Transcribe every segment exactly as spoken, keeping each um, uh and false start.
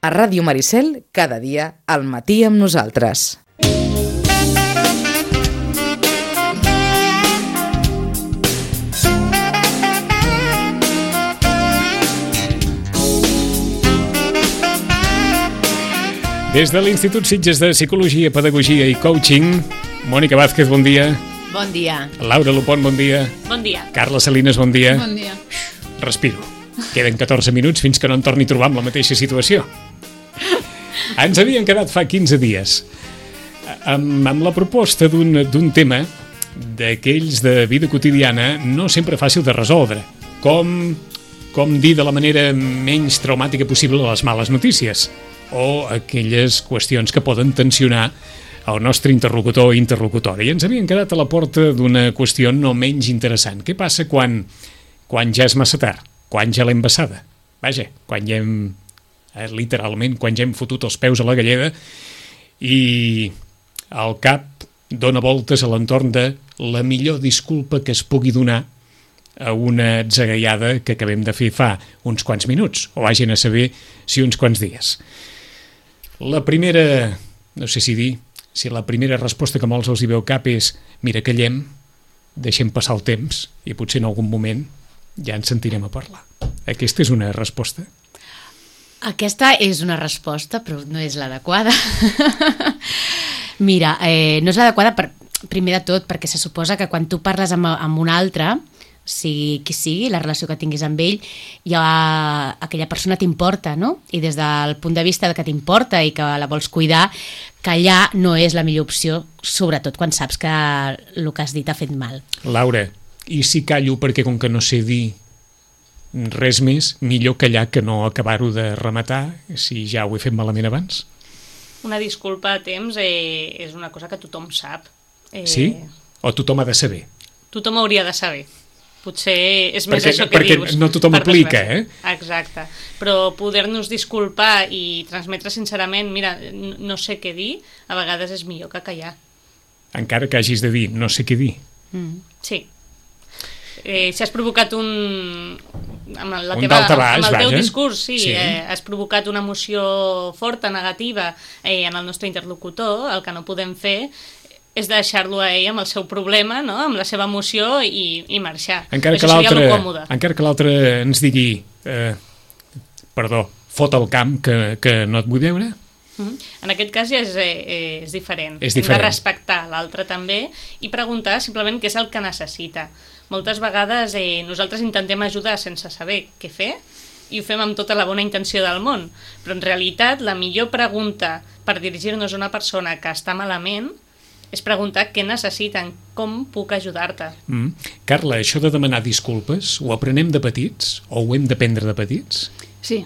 A Ràdio Maricel, cada dia, al matí amb nosaltres. Des de l'Institut Sitges de Psicologia, Pedagogia i Coaching, Mònica Vázquez, bon dia. Bon dia. Laura Lupont, bon dia. Bon dia. Carla Salinas, bon dia. Bon dia. Respiro. Queden catorze minuts fins que no em torni a trobar amb la mateixa situació. Ens havien quedat fa quinze dies amb, amb la proposta d'un d'un tema d'aquells de vida quotidiana no sempre fàcil de resoldre. Com, com dir de la manera menys traumàtica possible les males notícies o aquelles qüestions que poden tensionar el nostre interlocutor o interlocutora. I ens havien quedat a la porta d'una qüestió no menys interessant. Què passa quan, quan ja és massa tard? Quan ja l'hem vessada? Vaja, quan ja hem, eh, literalment, quan ja hem fotut els peus a la galleda i el cap dona voltes a l'entorn de la millor disculpa que es pugui donar a una atzagaiada que acabem de fer fa uns quants minuts, o vagin a saber si uns quants dies. La primera, no sé si dir, si la primera resposta que molts els hi veu cap és mira, callem, deixem passar el temps i potser en algun moment ja ens sentirem a parlar. Aquesta és una resposta? Aquesta és una resposta, però no és l'adequada. Mira, eh, no és l'adequada per, primer de tot perquè se suposa que quan tu parles amb, amb un altre, sigui qui sigui, la relació que tinguis amb ell, ja aquella persona t'importa, no? I des del punt de vista que t'importa i que la vols cuidar, callar no és la millor opció, sobretot quan saps que el que has dit ha fet mal. Laura, i si callo perquè com que no sé dir res més, millor callar que no acabar-ho de rematar si ja ho he fet malament abans? Una disculpa a temps eh, és una cosa que tothom sap. Eh, sí? O tothom ha de saber? Tothom hauria de saber. Potser és més perquè, això que perquè dius. Perquè no tothom aplica, eh? Exacte. Però poder-nos disculpar i transmetre sincerament, mira, no sé què dir, a vegades és millor que callar. Encara que hagis de dir, no sé què dir. Mm. Sí. Eh, si has provocat un... Amb, la un teva, daltabaix, amb el teu vaja. discurs, sí, sí. Eh, has provocat una emoció forta, negativa eh, en el nostre interlocutor, el que no podem fer és deixar-lo a ell amb el seu problema, no? Amb la seva emoció i, i marxar. Encara que l'altre encara que l'altre ens digui eh, perdó, fot el camp que, que no et vull veure. Mm-hmm. En aquest cas ja és, eh, és diferent. És diferent. Hem de respectar l'altre també i preguntar simplement què és el que necessita. Moltes vegades eh, nosaltres intentem ajudar sense saber què fer i ho fem amb tota la bona intenció del món, però en realitat la millor pregunta per dirigir-nos a una persona que està malament és preguntar què necessiten, com puc ajudar-te. Mm. Carla, això de demanar disculpes, ho aprenem de petits o ho hem d'aprendre de petits? Sí.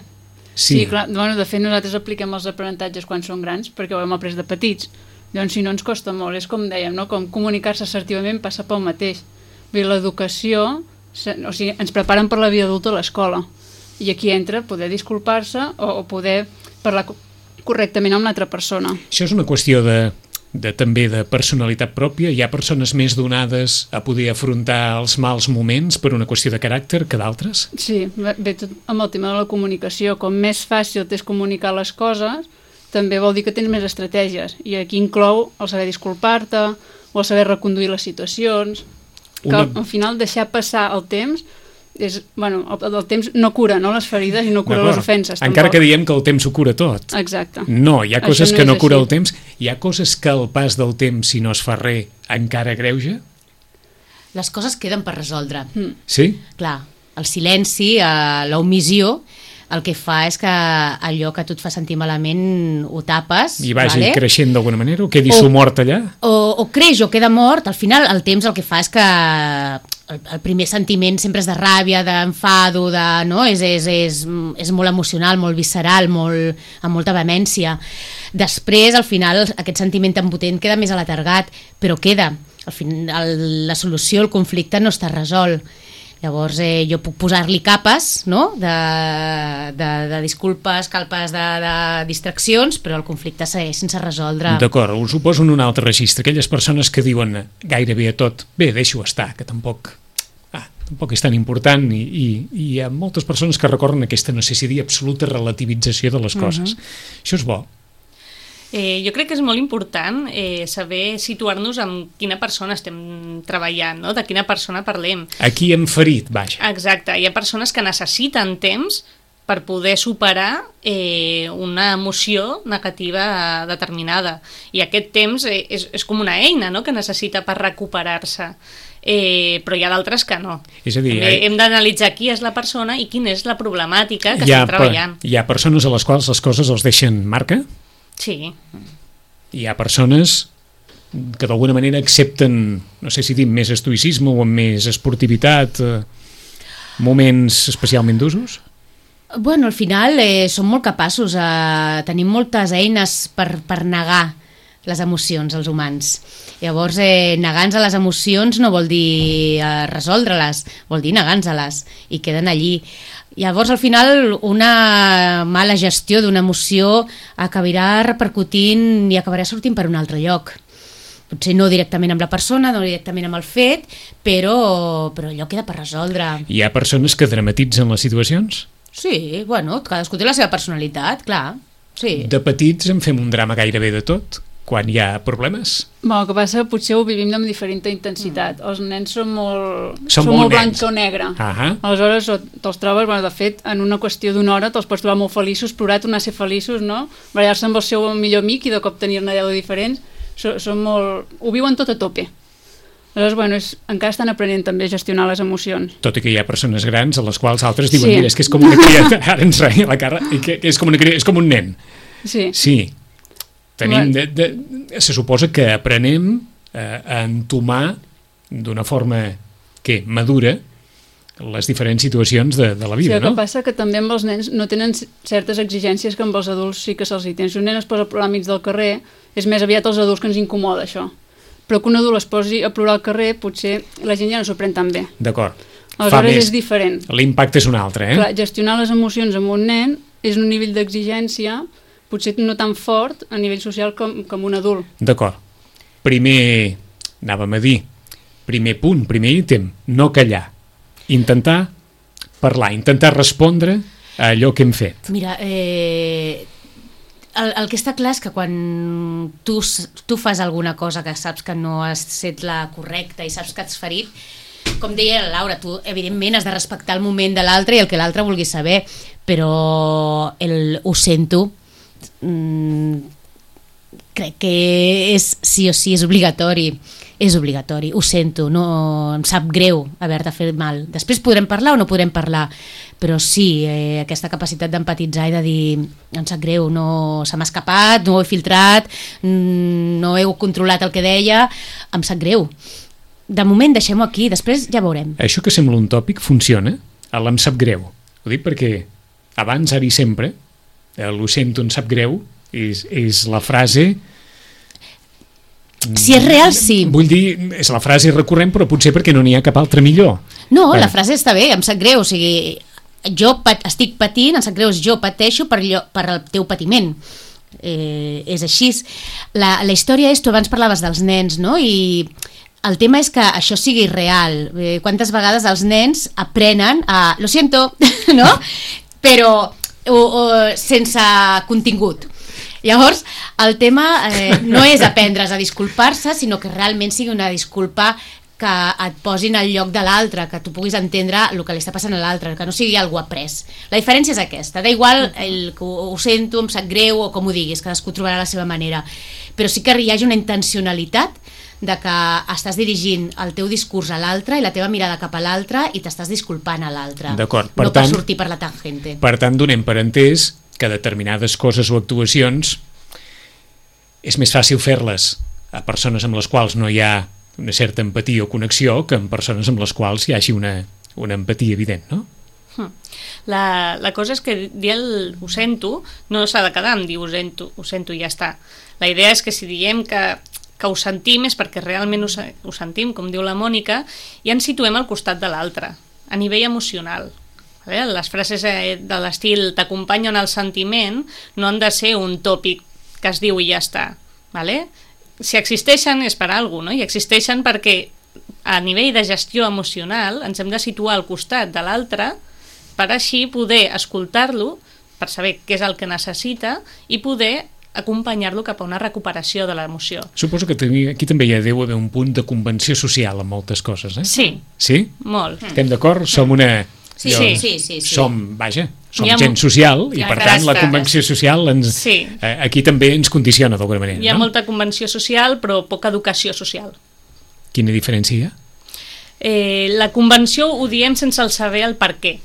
Sí, sí clar. Bueno, de fet, nosaltres apliquem els aprenentatges quan som grans perquè ho hem après de petits. Llavors, si no ens costa molt, és com dèiem, no? Com comunicar-se assertivament passa pel mateix. L'educació, o sigui, ens preparen per la vida adulta a l'escola. I aquí entra poder disculpar-se o, o poder parlar correctament amb l'altra persona. Això és una qüestió de... de també de personalitat pròpia? Hi ha persones més donades a poder afrontar els mals moments per una qüestió de caràcter que d'altres? Sí, ve tot amb el tema de la comunicació. Com més fàcil t'és comunicar les coses, també vol dir que tens més estratègies. I aquí inclou el saber disculpar-te o el saber reconduir les situacions. Una... Que al final deixar passar el temps és, bueno, el, el temps no cura, no, les ferides i no cura les ofenses. Encara tampoc. que diem que el temps ho cura tot. Exacte. No, hi ha coses no que no cura així. el temps. Hi ha coses que el pas del temps, si no es fa res, encara greuja? Les coses queden per resoldre. Mm. Sí? Clar, el silenci, eh, l'omissió, el que fa és que allò que tu et fa sentir malament ho tapes. I vagi vale? creixent d'alguna manera, o quedi o, sumort allà? O, o creix o queda mort, al final el temps el que fa és que el, el primer sentiment sempre és de ràbia, d'enfado, de, no? és, és, és, és molt emocional, molt visceral, molt, amb molta vehemència. Després, al final, aquest sentiment tan potent queda més alatargat, però queda. Al final, la solució, el conflicte no està resolt. Llavors eh, jo puc posar-li capes, no? de, de, de disculpes, calpes de, de distraccions, però el conflicte segueix sense resoldre. D'acord, us ho poso en un altre registre. Aquelles persones que diuen gairebé a tot, bé, deixo estar, que tampoc... Ah, tampoc és tan important i, i, i hi ha moltes persones que recorren aquesta, no sé si dir, absoluta relativització de les coses. Uh-huh. Això és bo. Eh, jo crec que és molt important eh, saber situar-nos amb quina persona estem treballant, no? De quina persona parlem. Aquí hem ferit, vaja. Exacte, hi ha persones que necessiten temps per poder superar eh, una emoció negativa determinada. I aquest temps eh, és, és com una eina, no?, que necessita per recuperar-se. Eh, però hi ha d'altres que no. És a dir, També eh, hem d'analitzar qui és la persona i quina és la problemàtica que hi ha, estem treballant. Hi ha persones a les quals les coses els deixen marca. Sí. Hi ha persones que d'alguna manera accepten, no sé si dir més estoïcisme o amb més esportivitat, eh, moments especialment d'usos? Bueno, al final eh, som molt capaços, eh, tenim moltes eines per, per negar les emocions, els humans. Llavors, eh, negar-nos a les emocions no vol dir eh, resoldre-les, vol dir negar-nos-les, i queden allí. Llavors, al final, una mala gestió d'una emoció acabarà repercutint i acabarà sortint per un altre lloc. Potser no directament amb la persona, no directament amb el fet, però, però allò queda per resoldre. Hi ha persones que dramatitzen les situacions? Sí, bueno, cadascú té la seva personalitat, clar. Sí. De petits en fem un drama gairebé de tot, quan hi ha problemes? Bueno, el que passa que potser ho vivim amb diferent intensitat. Els nens són molt, Són són molt molt blanc nens. o negre. Ahà. Aleshores o te'ls trobes, bueno, de fet, en una qüestió d'una hora te'ls pots trobar molt feliços, plorar, tornar a ser feliços, no? Barallar-se amb el seu millor amic i de cop tenir-ne deu diferents. Són, són molt... Ho viuen tot a tope. Aleshores, bueno, és, encara estan aprenent també a gestionar les emocions. Tot i que hi ha persones grans a les quals altres diuen, Sí. mira, és que és com una criatura, ara ens reia la cara, i que és com, una criatura, és com un nen. Sí. Sí. Tenim Bueno. de, de, se suposa que aprenem eh, a entomar d'una forma que madura les diferents situacions de, de la vida, Sí, el que no? passa que també amb els nens no tenen certes exigències que amb els adults sí que se'ls hi tenen. Si un nen es posa a plorar al mig del carrer, és més aviat els adults que ens incomoda això. Però que un adult es posi a plorar al carrer, potser la gent ja no s'ho pren tan bé. D'acord. Fa Aleshores més... és diferent. L'impacte és un altre, eh? Clar, gestionar les emocions amb un nen és un nivell d'exigència potser no tan fort a nivell social com, com un adult. D'acord. Primer, anàvem a dir, primer punt, primer ítem, no callar. Intentar parlar, intentar respondre a allò que hem fet. Mira, eh, el, el que està clar és que quan tu, s- tu fas alguna cosa que saps que no has set la correcta i saps que has ferit, com deia la Laura, tu evidentment has de respectar el moment de l'altre i el que l'altre vulgui saber, però el ho sento mm, crec que és sí o sí, és obligatori, és obligatori, ho sento, no, em sap greu haver-te fet mal. Després podrem parlar o no podrem parlar, però sí, eh, aquesta capacitat d'empatitzar i de dir, em sap greu, no se m'ha escapat, no ho he filtrat, mm, no heu controlat el que deia, em sap greu. De moment deixem-ho aquí, després ja veurem. Això que sembla un tòpic funciona, el em sap greu. Ho dic perquè abans, ara i sempre, el ho sento, em sap greu, és, és la frase... Si és real, sí. Vull dir, és la frase recurrent, però potser perquè no n'hi ha cap altra millor. No, Bueno. la frase està bé, em sap greu, o sigui, jo pat, estic patint, em sap greu, jo pateixo per, allò, per el teu patiment. Eh, és així. La, la història és, tu abans parlaves dels nens, no? I el tema és que això sigui real. Eh, quantes vegades els nens aprenen a... Lo siento, no? Però o, o, sense contingut. Llavors, el tema eh, no és aprendre's a disculpar-se, sinó que realment sigui una disculpa que et posin al lloc de l'altre, que tu puguis entendre el que li està passant a l'altre, que no sigui algú après. La diferència és aquesta, da igual el que ho, ho sento, em sap greu o com ho diguis, cadascú trobarà la seva manera, però sí que hi hagi una intencionalitat de que estàs dirigint el teu discurs a l'altre i la teva mirada cap a l'altre i t'estàs disculpant a l'altre. D'acord, per no per tant- sortir per la tangente. Per tant, donem per entès que determinades coses o actuacions és més fàcil fer-les a persones amb les quals no hi ha una certa empatia o connexió que amb persones amb les quals hi hagi una, una empatia evident, no? La, la cosa és que dir el ho sento no s'ha de quedar amb dir ho sento, ho sento i ja està. La idea és que si diem que, que ho sentim és perquè realment ho, se- ho sentim, com diu la Mònica, i ens situem al costat de l'altre, a nivell emocional. Vale? Les frases eh, de l'estil t'acompanyo en el sentiment no han de ser un tòpic que es diu i ja està. Vale? Si existeixen és per alguna cosa, no? I existeixen perquè a nivell de gestió emocional ens hem de situar al costat de l'altre per així poder escoltar-lo, per saber què és el que necessita i poder acompanyar-lo cap a una recuperació de l'emoció. Suposo que aquí també hi ha deu haver un punt de convenció social en moltes coses, eh? Sí. Sí? Molt. Estem d'acord? Som una... Sí, jo, sí, sí, sí, sí. Som, vaja, som ha gent mo- social i Ja, per tant la exacte. convenció social ens, Sí. eh, aquí també ens condiciona d'alguna manera, Hi ha no? molta convenció social, però poca educació social. Quina diferència hi ha? Eh, la convenció ho diem sense el saber el per què.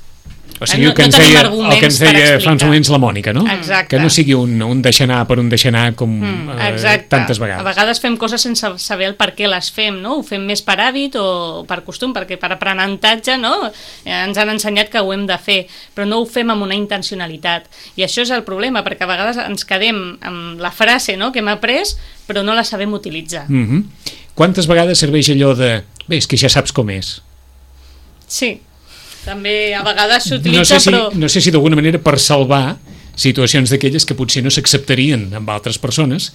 O sigui, No- el que no ens tenim deia, el arguments que ens per deia fa explicar. uns moments la Mònica, no? Exacte. Que no sigui un, un deixar-anar per un deixar-anar com Mm, eh, exacte. tantes vegades. A vegades fem coses sense saber el per què les fem, no? Ho fem més per hàbit o per costum, perquè per aprenentatge, no? Eh, ens han ensenyat que ho hem de fer, però no ho fem amb una intencionalitat. I això és el problema, perquè a vegades ens quedem amb la frase, no?, que hem après, però no la sabem utilitzar. Mm -hmm. Quantes vegades serveix allò de bé, és que ja saps com és? Sí, també a vegades s'utilitza, No sé si, però... no sé si d'alguna manera per salvar situacions d'aquelles que potser no s'acceptarien amb altres persones,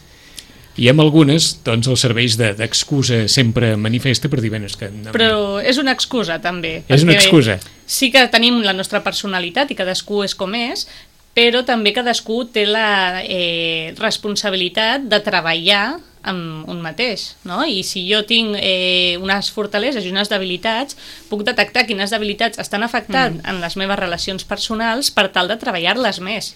i amb algunes doncs el serveix de- d'excusa sempre manifesta per dir, bé, és que... No, Però és una excusa, també. És una perquè excusa. Sí que tenim la nostra personalitat i cadascú és com és, però també cadascú té la eh, responsabilitat de treballar amb un mateix, no? I si jo tinc eh, unes fortaleses i unes debilitats, puc detectar quines debilitats estan afectant mm. en les meves relacions personals per tal de treballar-les més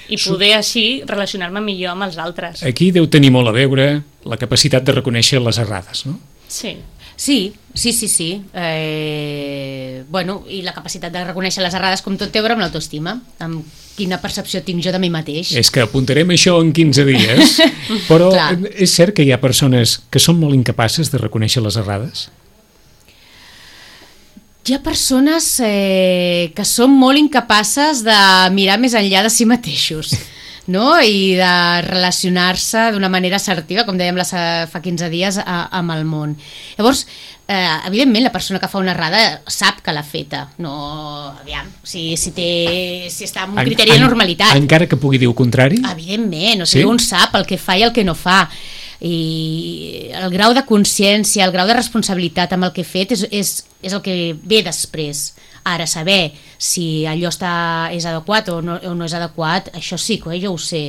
i poder així relacionar-me millor amb els altres. Aquí deu tenir molt a veure la capacitat de reconèixer les errades, no? Sí. Sí, sí, sí, sí. Eh, bueno, i la capacitat de reconèixer les errades, com tot té a veure amb l'autoestima, amb quina percepció tinc jo de mi mateix. És que apuntarem això en quinze dies, però Clar. és cert que hi ha persones que són molt incapaces de reconèixer les errades? Hi ha persones eh, que són molt incapaces de mirar més enllà de si mateixos, no? I de relacionar-se d'una manera assertiva, com dèiem la, fa quinze dies, a, amb el món. Llavors, eh, evidentment, la persona que fa una errada sap que l'ha feta. No, aviam, si, si, té, si està en un criteri de normalitat. Encara que pugui dir el contrari? Evidentment, o Sí? sigui, un sap el que fa i el que no fa. I el grau de consciència, el grau de responsabilitat amb el que he fet és, és, és el que ve després. Ara, saber si allò està, és adequat o no, o no és adequat, això sí que eh, jo ho sé.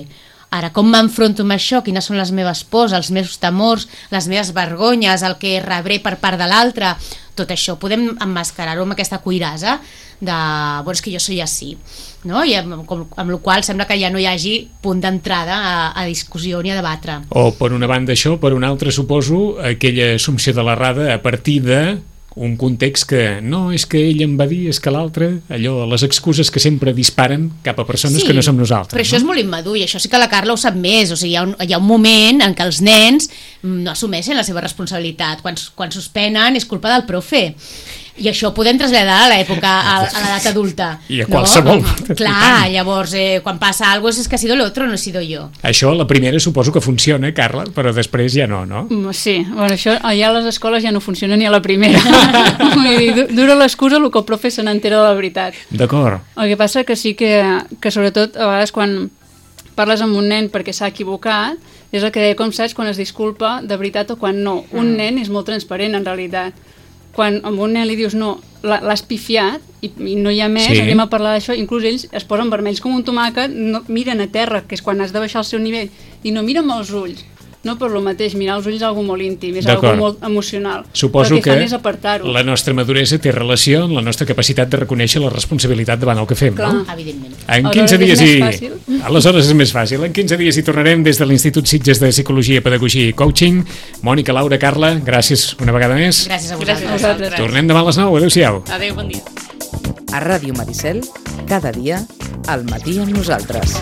Ara, com m'enfronto amb això? Quines són les meves pors, els meus temors, les meves vergonyes, el que rebré per part de l'altre? Tot això podem emmascarar-ho amb aquesta cuirassa de, bueno, és que jo soy així, no? I amb, com, amb la qual sembla que ja no hi hagi punt d'entrada a, a discussió ni a debatre. O per una banda això, per una altra suposo aquella assumpció de l'errada a partir de un context que no, és que ell em va dir, és que l'altre, allò, les excuses que sempre disparen cap a persones Sí, que no som nosaltres. però això és no? molt immadur i això sí que la Carla ho sap més, o sigui, hi ha un, hi ha un moment en què els nens no assumeixen la seva responsabilitat, quan, quan suspenen és culpa del profe, i això ho podem traslladar a l'època, a, a l'edat adulta. I a qualsevol. No? Clar, llavors, eh, quan passa alguna cosa és que ha sido el otro, no he sido yo. Això, la primera, suposo que funciona, Carla, però després ja no, no? Mm, Sí, bueno, això allà a les escoles ja no funciona ni a la primera. Vull dir, du- dura l'excusa el que el profe se n'entera de la veritat. D'acord. El que passa que sí que, que sobretot a vegades quan parles amb un nen perquè s'ha equivocat, és el que deia, com saps quan es disculpa de veritat o quan no. Un nen és molt transparent en realitat. Quan amb un nen li dius no, la- l'has pifiat i, i no hi ha més, Sí. sí. anem a parlar d'això, inclús ells es posen vermells com un tomàquet, no, miren a terra, que és quan has de baixar el seu nivell, i no miren amb els ulls. No per lo mateix, mirar els ulls és algo molt íntim, és algo D'acord. molt emocional. Suposo Però el que, que fan és apartar-ho. la nostra maduresa té relació amb la nostra capacitat de reconèixer la responsabilitat davant el que fem, Clar. no? Evidentment. En Aleshores quinze és dies més i... fàcil. Aleshores és més fàcil. En quinze dies hi tornarem des de l'Institut Sitges de Psicologia, Pedagogia i Coaching. Mònica, Laura, Carla, gràcies una vegada més. Gràcies a Gràcies vosaltres. a vosaltres. Tornem demà a les nou. Adéu-siau. Adéu, bon dia. A Ràdio Maricel, cada dia, al matí amb nosaltres.